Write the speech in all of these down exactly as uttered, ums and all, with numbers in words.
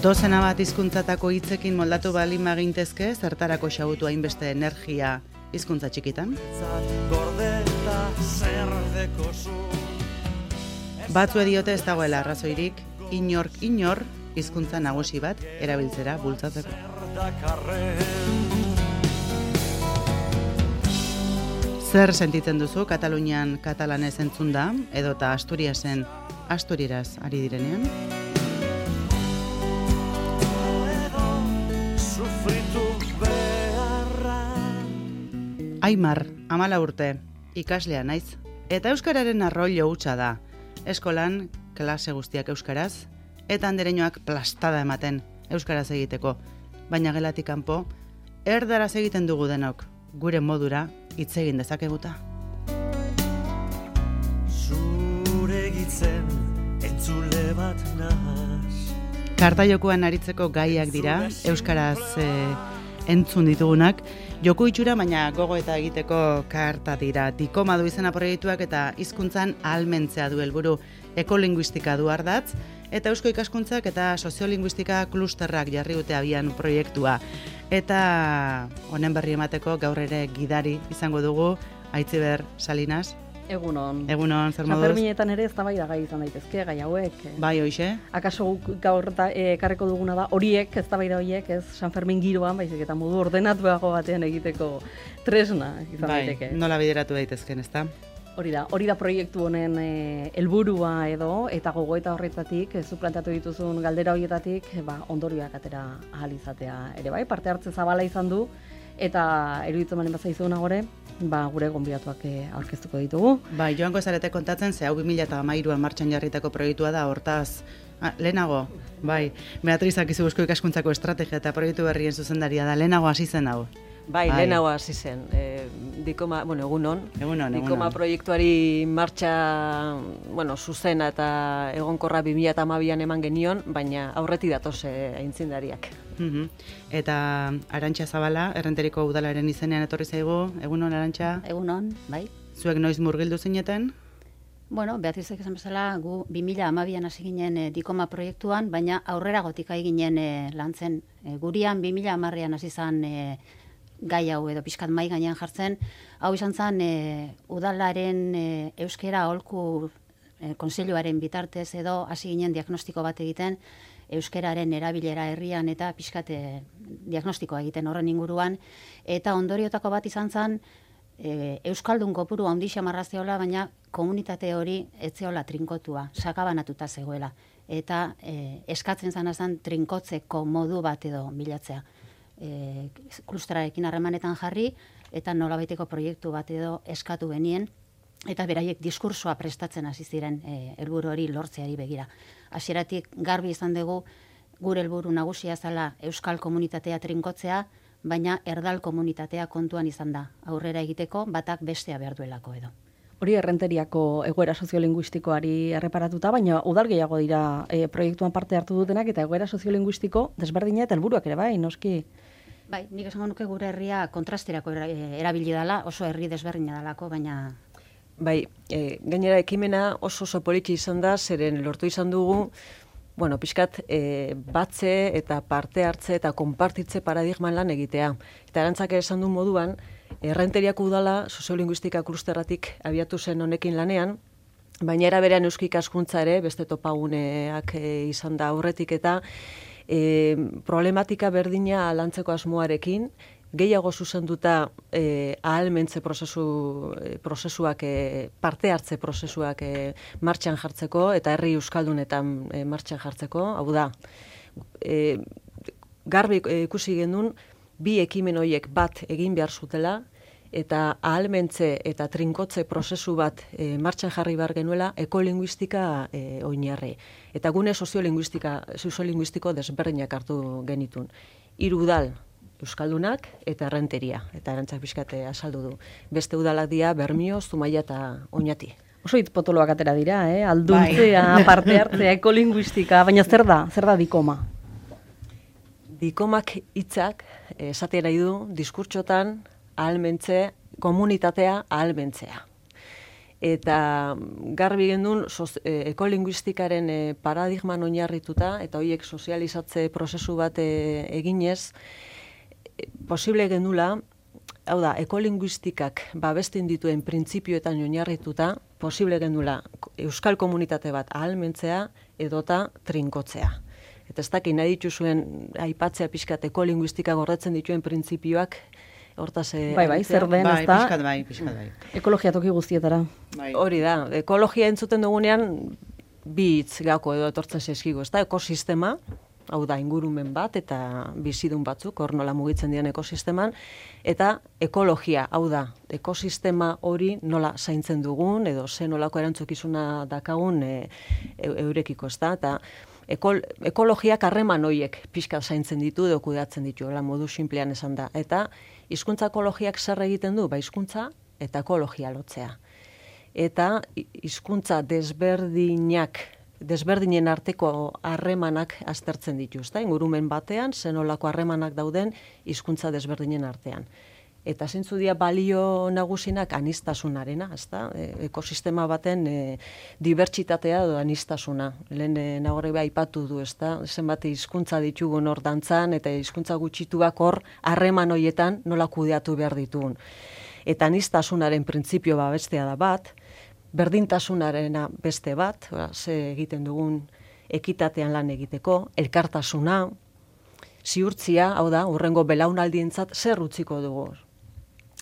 Dozena bat hizkuntzatako hitzekin moldatu bali magintezke, zertarako xabutu hainbeste energia hizkuntza txikitan? Batzu diote ez dagoela arrazoirik, inork inor hizkuntza nagusi bat erabiltzera bultzatzeko. Zer sentitzen duzu Katalunian katalanez entzunda, edota Asturiasen asturiraz ari direnean? Aimar, amala urte, ikaslea naiz, eta euskararen arroilo hutsa da. Eskolan, klase guztiak euskaraz, eta andereñoak plastada ematen euskaraz egiteko. Baina gelatik kanpo, erdaraz egiten dugu denok, gure modura hitz egin dezakeguta. Zure gitzen entzule bat nahaz. Kartajokuan aritzeko gaiak dira, euskaraz e, entzun ditugunak, joku itxura baina gogo eta egiteko karta dira. Dikoma du izena proiektuak eta hizkuntzan ahalmentzea du helburu, ekolinguistika du ardatz, eta eusko ikaskuntzak eta soziolinguistika klusterrak jarri dute abian proiektua. Eta honen berri emateko gaur ere gidari izango dugu, Aitziber Salinas. Egunon. Egunon, zer moduz? Sanferminetan ere eztabaida gai izan daitezke, gai hauek. Bai, hoixe? Akaso gaur ekarreko duguna da horiek, eztabaida horiek, ez Sanfermin giroan, baizik eta modu ordenatuago batean egiteko tresna izan daiteke. Bai, nola bideratu daitezken, ezta? Hori da, hori da proiektu honen helburua edo, eta gogoeta horretatik, zu plantatu dituzun galdera horietatik, ba, ondorioak atera ahal izatea ere bai, parte hartze zabala izan du, eta eruditzen malen bazaizuna gore, ba, gure gonbidatuak aurkeztuko ditugu. Bai, joango zarete kontatzen, ze hau bi mila hamairuan martxan jarritako proiektua da, hortaz, ah, lehenago, bai, Beatrizak izu eusko ikaskuntzako estrategia eta proiektu berrien zuzendaria da, lehenago hasi zen hau. Bai, bai. Lehenago hasi zen. E, dikoma, bueno, egunon. Egunon, Dikoma egunon. proiektuari martxa, bueno, zuzena eta egonkorra bi mila hamabian eman genion, baina aurretik datoz e, aintzindariak. Uh-huh. Eta Arantxa Zabala, Errenteriko udalaren izenean etorri zaigu. Egunon, Arantxa? Egunon, bai. Zuek noiz murgildu zineten? Bueno, Beatrizek esan bezala, gu bi mila hamabian hasi ginen e, Dikoma proiektuan, baina aurrera gotik ari ginen e, lantzen. E, gurian bi mila hamarrean hasi zan e, gai hau edo pixkat mai gainean jartzen. Hau izan zen e, udalaren e, euskera aholku e, kontseiluaren bitartez edo hasi ginen diagnostiko bat egiten euskeraren erabilera herrian eta pixkat e, diagnostikoa egiten horren inguruan. Eta ondoriotako bat izan zen e, euskaldun kopuru handi xamarraziola, baina komunitate hori etzeola trinkotua, sakabanatuta zegoela. Eta e, eskatzen zana zen trinkotzeko modu bat edo bilatzea. E, klusterarekin harremanetan jarri eta nolabaiteko proiektu bat edo eskatu benien eta beraiek diskursoa prestatzen hasi ziren e, helburu hori lortzeari begira. Hasieratik garbi izan dugu gure helburu nagusia zela euskal komunitatea trinkotzea, baina erdal komunitatea kontuan izan da aurrera egiteko batak bestea behar duelako edo. Hori Errenteriako egoera soziolinguistikoari erreparatuta, baina udal gehiago dira e, proiektuan parte hartu dutenak eta egoera soziolinguistiko desberdina eta helburuak ere bai, noski. Bai, nik esango nuke gure herria kontrasterako erabili dela, oso herri desberdina dalako, baina... Bai, e, gainera ekimena oso oso politxe izan da, zeren lortu izan dugu, bueno, pixkat e, batze eta parte hartze eta konpartitze paradigman lan egitea. Eta Arantzak esan du moduan, Errenteriako udala soziolinguistika klusterratik abiatu zen honekin lanean, baina era berean eusko ikaskuntza ere, beste topaguneak e, izan da aurretik eta e, problematika berdina lantzeko asmoarekin, gehiago zuzenduta e, ahalmentze prozesu, e, prozesuak, e, parte hartze prozesuak e, martxan jartzeko eta herri euskaldunetan e, martxan jartzeko, hau da, e, garbi e, ikusi genuen, bi ekimen horiek bat egin behar zutela, eta ahalmentze eta trinkotze prozesu bat e, martxan jarri behar genuela ekolinguistika e, oinarri. Eta gune soziolinguistika, soziolinguistiko desberdinak hartu genitun. Hiru udal, euskaldunak eta Errenteria, eta Arantzak pixkate azaldu du. Beste udalak dira Bermio, Zumaia eta Oñati. Oso hitz potoloak atera dira, eh? Alduntzea, bai. Parte hartzea, ekolinguistika, baina zer da? Zer da Dikoma? Dikomak hitzak esatea nahi du diskurtsotan ahalmentze, komunitatea ahalmentzea. eta garbi gendun ekolinguistikaren e, paradigman oinarrituta, eta horiek sozializatze prozesu bat e, eginez, e, posible gendula, hau da, ekolinguistikak babesten dituen printzipioetan oinarrituta, posible gendula euskal komunitate bat ahalmentzea edota trinkotzea. Eta ez dakit nahi dituzuen aipatzea pixkat ekolinguistika gordetzen dituen printzipioak, hortaz... Bai, bai, zer den, bai, ez da? Pixkat bai, pixkat bai. Ekologia toki guztietara. Bai. Hori da, ekologia entzuten dugunean, bi hitz gako edo etortzen zaizkigu, ez da, ekosistema, hau da, ingurumen bat, eta bizidun batzuk, hor nola mugitzen dian ekosisteman, eta ekologia, hau da, ekosistema hori nola zaintzen dugun, edo ze nolako erantzukizuna dakagun e, e, eurekiko, ez da, eta ekol, ekologiak harreman horiek pixka zaintzen ditu, edo kudeatzen ditu, la modu sinplean esan da, eta hizkuntza ekologiak zer egiten du, ba hizkuntza eta ekologia lotzea. Eta hizkuntza desberdinak, desberdinen arteko harremanak aztertzen dituzta, ingurumen batean, zenolako harremanak dauden hizkuntza desberdinen artean. Eta zeintzu dira balio nagusinak anistasunarena, ezta? E, ekosistema baten e, dibertsitatea edo anistasuna. Lehen e, nagore beha aipatu du, ezta? Zenbat hizkuntza ditugun hor dantzan, eta hizkuntza gutxituak hor harreman hoietan nola kudeatu behar ditugun. Eta anistasunaren printzipio babestea da bat, berdintasunarena beste bat, ba, ze egiten dugun ekitatean lan egiteko, elkartasuna, ziurtzia, hau da, hurrengo belaunaldientzat zer utziko dugu.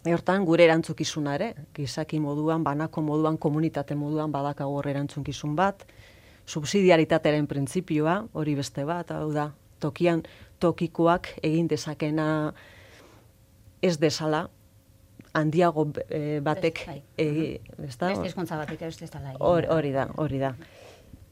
Hortan, gure erantzukizuna ere, gizaki moduan, banako moduan, komunitate moduan badakago hor erantzukizun bat, subsidiaritatearen printzipioa, hori beste bat, hau da, tokian tokikoak egin dezakena ez desala, handiago e, batek egi, ezta? Beste hizkuntza batek ez dela. Hori, hori da, hori da.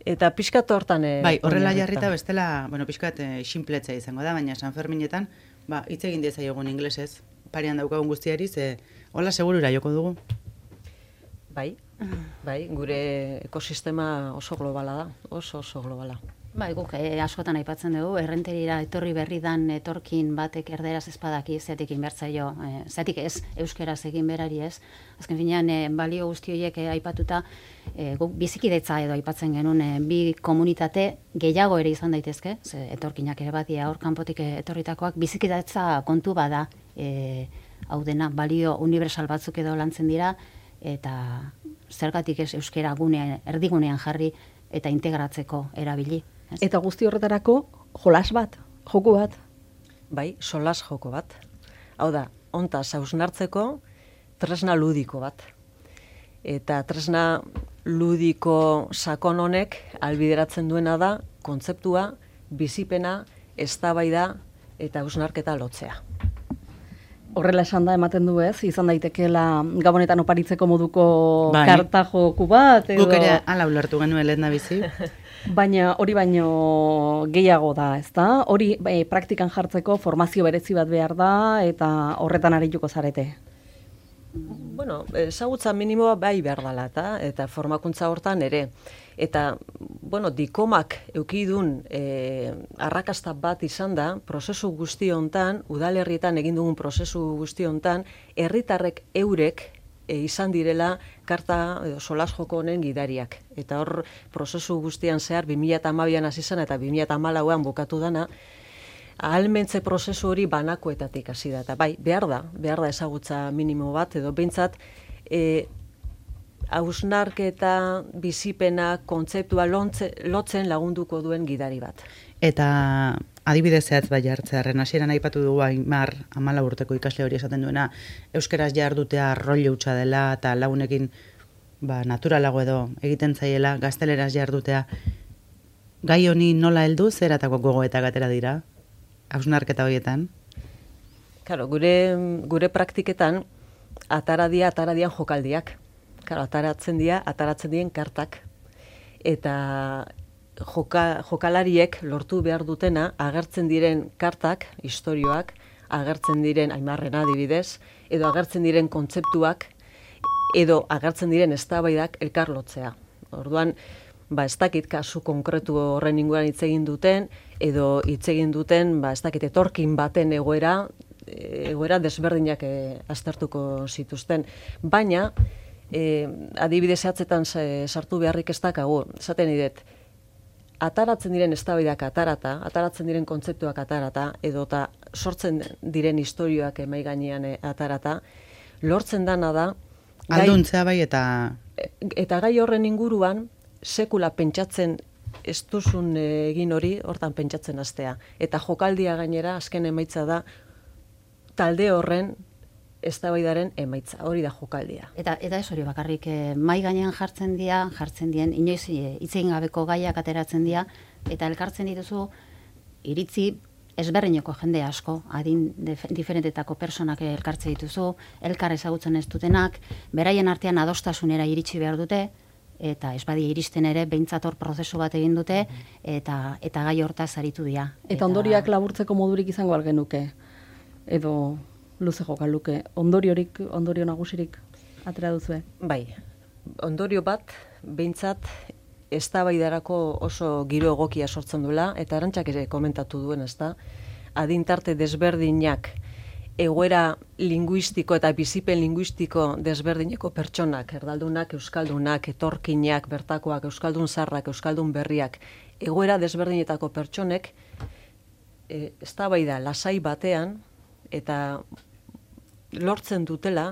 Eta pixkat hortan... E, bai, horrela jarrita bestela, bueno, pixkat e, sinpletzea izango da, baina San Ferminetan, ba, hitz egin dezaiogun inglesez, parean daukagun guztiari, ze hola segurura joko dugu. Bai, bai, gure ekosistema oso globala da, oso oso globala. Bai, guk eh, askotan aipatzen dugu, errenterira etorri berri dan etorkin batek erderaz ezpadaki zetik inbertzaio, eh, zetik ez, euskeraz egin berari ez. Azken finean, eh, balio guzti horiek eh, aipatuta, eh, guk bizikidetza edo aipatzen genuen, eh, bi komunitate gehiago ere izan daitezke, ze etorkinak ere badia hor kanpotik etorritakoak, bizikidetza kontu bada, eh, hau dena, balio universal batzuk edo lantzen dira, eta zergatik ez euskera gunean, erdigunean jarri eta integratzeko erabili. Ez? Eta guzti horretarako jolas bat, joku bat. Bai, solas joko bat. Hau da, hontaz hausnartzeko tresna ludiko bat. Eta tresna ludiko sakon honek albideratzen duena da kontzeptua, bizipena, eztabaida eta hausnarketa lotzea. Horrela esan da ematen du ez, izan daitekeela gabonetan oparitzeko moduko bai. karta joku bat. Edo... Guk ere ala ulertu genuen lehen da bizi. Baina hori baino gehiago da, ezta? Hori e, praktikan jartzeko formazio berezi bat behar da eta horretan arituko zarete. Bueno, ezagutza minimoa bai behar dela eta, eta formakuntza hortan ere. Eta, bueno, dikomak eukidun e, arrakasta bat izan da, prozesu guzti hontan, udalerrietan egin dugun prozesu guzti hontan, herritarrek eurek e, izan direla karta edo solas joko honen gidariak. Eta hor, prozesu guztian zehar, bi mila hamabian hasi zen eta bi mila hamalauan bukatu dana, ahalmentze prozesu hori banakoetatik hasi da. Eta bai, behar da, behar da ezagutza minimo bat, edo behintzat, e, hausnarketa, bizipena, kontzeptua lontze, lotzen lagunduko duen gidari bat. Eta adibidez zehatz bai hartzearen, hasieran aipatu dugu Aimar hamalau urteko ikasle hori esaten duena, euskeraz jardutea rollo hutsa dela eta lagunekin ba, naturalago edo egiten zaiela, gazteleraz jardutea. Gai honi nola heldu zeratako gogoetak atera dira, hausnarketa horietan? Claro, gure, gure praktiketan ataradia, ataradian jokaldiak. Claro, ataratzen dira, ataratzen dien kartak. Eta joka, jokalariek lortu behar dutena, agertzen diren kartak, istorioak, agertzen diren Aimarrena adibidez, edo agertzen diren kontzeptuak, edo agertzen diren eztabaidak elkarlotzea. Orduan, ba, ez dakit kasu konkretu horren inguruan hitz egin duten, edo hitz egin duten, ba, ez dakit etorkin baten egoera, egoera desberdinak e, aztertuko zituzten. Baina, e, adibidez zehatzetan sartu beharrik ez dakagu, esaten idet, ataratzen diren eztabaidak atarata, ataratzen diren kontzeptuak atarata, edota sortzen diren istorioak emai gainean atarata, lortzen dana da... Alduntzea bai eta... Eta gai horren inguruan, sekula pentsatzen ez duzun egin hori, hortan pentsatzen hastea. Eta jokaldia gainera, azken emaitza da, talde horren eztabaidaren emaitza, hori da jokaldia. Eta eta ez hori bakarrik, eh, mai gainean jartzen dira, jartzen dien, inoiz hitz egin gabeko gaiak ateratzen dira, eta elkartzen dituzu iritzi ezberdineko jende asko, adin diferentetako personak elkartze dituzu, elkar ezagutzen ez dutenak, beraien artean adostasunera iritsi behar dute, eta ez badia iristen ere, behintzat hor prozesu bat egin dute, eta eta gai hortaz aritu dira. Eta ondoriak laburtzeko modurik izango algenuke, edo luze joka luke, ondoriorik, ondorio nagusirik atera duzue? Bai, ondorio bat, behintzat, eztabaidarako oso giro egokia sortzen duela, eta Arantxak ere komentatu duen, ezta, adintarte desberdinak, egoera linguistiko eta bizipen linguistiko desberdineko pertsonak, erdaldunak, euskaldunak, etorkinak, bertakoak, euskaldun zarrak, euskaldun berriak, egoera desberdinetako pertsonek, e, eztabaida lasai batean, eta lortzen dutela,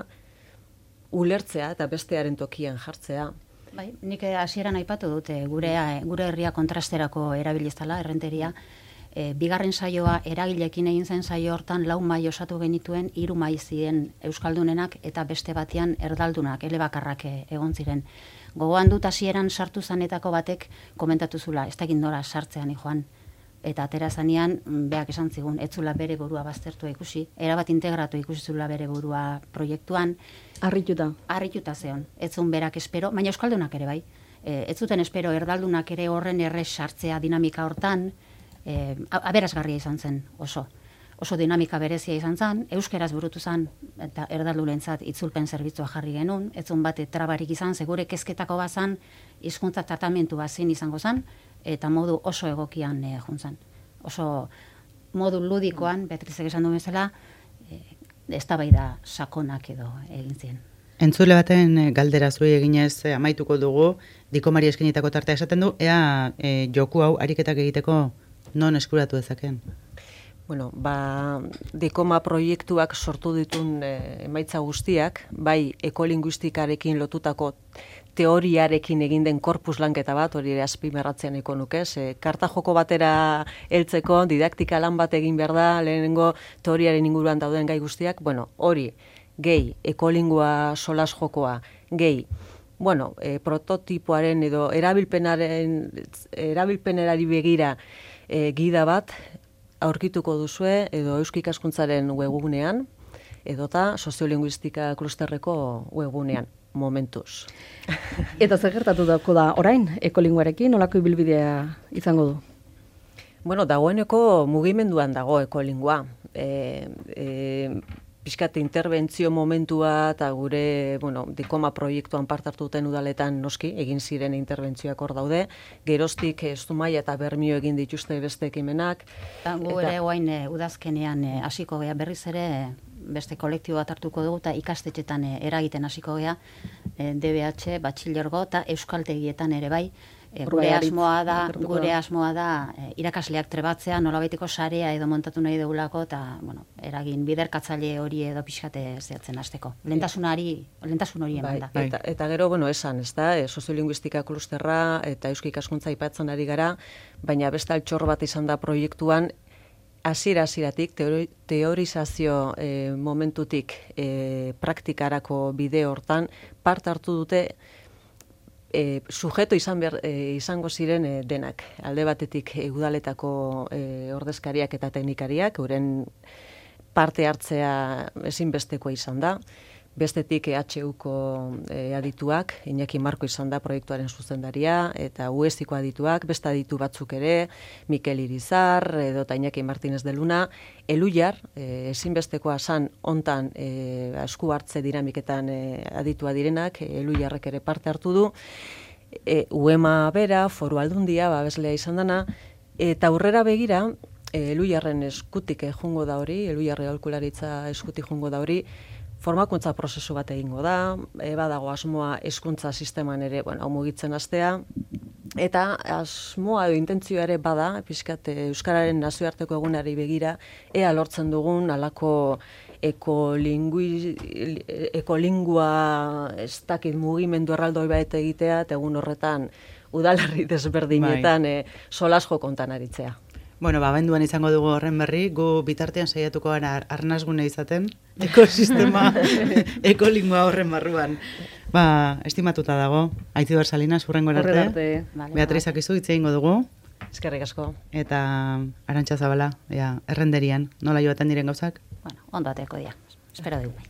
ulertzea eta bestearen tokian jartzea. Bai, nik hasieran aipatu dute gure gure herria kontrasterako erabiliztala, errenteria. E, bigarren saioa eragilekin egin zen saio hortan lau mai osatu genituen, hiru mai ziren euskaldunenak eta beste batean erdaldunak, elebakarrak egon ziren. Gogoan dut hasieran sartu zanetako batek komentatu zula, ez dakit nora sartzean joan. Eta atera zanean, beak esan zigun, ez zula bere burua baztertua ikusi, erabat integratu ikusi zula bere burua proiektuan. Arrituta. Arrituta zeon, ez zuen berak espero, baina euskaldunak ere bai. E, ez zuten espero erdaldunak ere horren errez sartzea dinamika hortan, e, aberasgarria izan zen oso. Oso dinamika berezia izan zen, euskeraz burutu zen, eta erdaldulentzat itzulpen zerbitzua jarri genuen, ez zuen bate trabarik izan, segure kezketako bazan, hizkuntza tratamentu bazin izango zen, eta modu oso egokian e, juntzan. Oso modu ludikoan, Beatrizek esan du bezala, e, eztabaida sakonak edo egin ziren. Entzule baten e, galdera zuei eginez e, amaituko dugu, Dikomari eskenitako tartea esaten du, ea e, joku hau ariketak egiteko non eskuratu dezaken? Bueno, ba, Dikoma proiektuak sortu ditun e, emaitza guztiak, bai ekolinguistikarekin lotutako teoriarekin egin den korpus lanketa bat, hori ere azpimarratzean eko nuke, ze karta joko batera heltzeko, didaktika lan bat egin behar da, lehenengo teoriaren inguruan dauden gai guztiak, bueno, hori, gehi, ekolingua solas jokoa, gehi, bueno, e, prototipoaren edo erabilpenaren, erabilpenerari begira e, gida bat, aurkituko duzue, edo Eusko Ikaskuntzaren webgunean, edota soziolinguistika klusterreko webgunean. Momentuz. Eta zer gertatu dauko da orain, ekolinguarekin, nolako ibilbidea izango du? Bueno, dagoeneko mugimenduan dago ekolingua. E, e, Piskat interbentzio momentua eta gure, bueno, Dikoma proiektuan parte hartu duten udaletan noski, egin ziren interbentzioak hor daude, geroztik Zumaia eta Bermio egin dituzte beste ekimenak. Gu ere guain e, udazkenean hasiko gea berriz ere, beste kolektibo bat hartuko dugu eta ikastetxetan e, eragiten hasiko gea, e, D B H, batxilergo eta euskaltegietan ere bai. E, gure asmoa da, gure asmoa da e, irakasleak trebatzea, nolabaiteko sarea edo montatu nahi dugulako eta, bueno, eragin biderkatzaile hori edo pixkate zehatzen hasteko. Lentasunari, lentasun hori eman da. Bai, eta, eta gero, bueno, esan, ez da, e, soziolinguistika klusterra eta Eusko Ikaskuntza aipatzen ari gara, baina beste altxor bat izan da proiektuan, hasiera-hasieratik, teori, teorizazio e, momentutik e, praktikarako bide hortan, part hartu dute e, sujeto izan ber, e, izango ziren e, denak. Alde batetik e, udaletako e, ordezkariak eta teknikariak, euren parte hartzea ezinbestekoa izan da. Bestetik E H Uko e, adituak, Iñaki Marko izan da proiektuaren zuzendaria, eta U E S Iko adituak, beste aditu batzuk ere, Mikel Irizar, edo eta Iñaki Martinez de Luna, Eluiar, e, ezinbestekoa san hontan e, esku hartze dinamiketan e, aditua direnak, e, Eluiarrek ere parte hartu du, e, U E M A bera, Foru Aldundia, babeslea izan dana, eta aurrera begira, e, Eluiarren eskutik jungo da hori, Eluiarre aholkularitza eskutik jungo da hori, formakuntza prozesu bat egingo da, e, badago asmoa hezkuntza sisteman ere, bueno, hau mugitzen hastea, eta asmoa edo intentzioa ere bada, pixkat Euskararen nazioarteko egunari begira, ea lortzen dugun alako ekolingui, ekolingua ez dakit mugimendu erraldoi bat egitea, eta egun horretan udalerri desberdinetan bai. e, solasjo kontan aritzea. Bueno, ba, benduan izango dugu horren berri, gu bitartean saiatuko gara ar arnazgune izaten, ekosistema, ekolingua horren barruan. Ba, estimatuta dago, Aitziber Salinas, hurrengo arte. arte. Vale, Beatriz Akizu, hitz egingo dugu. Eskerrik asko. Eta Arantxa Zabala, ja, errenderian, nola joaten diren gauzak? Bueno, ondo ateko dira. Espero dugu.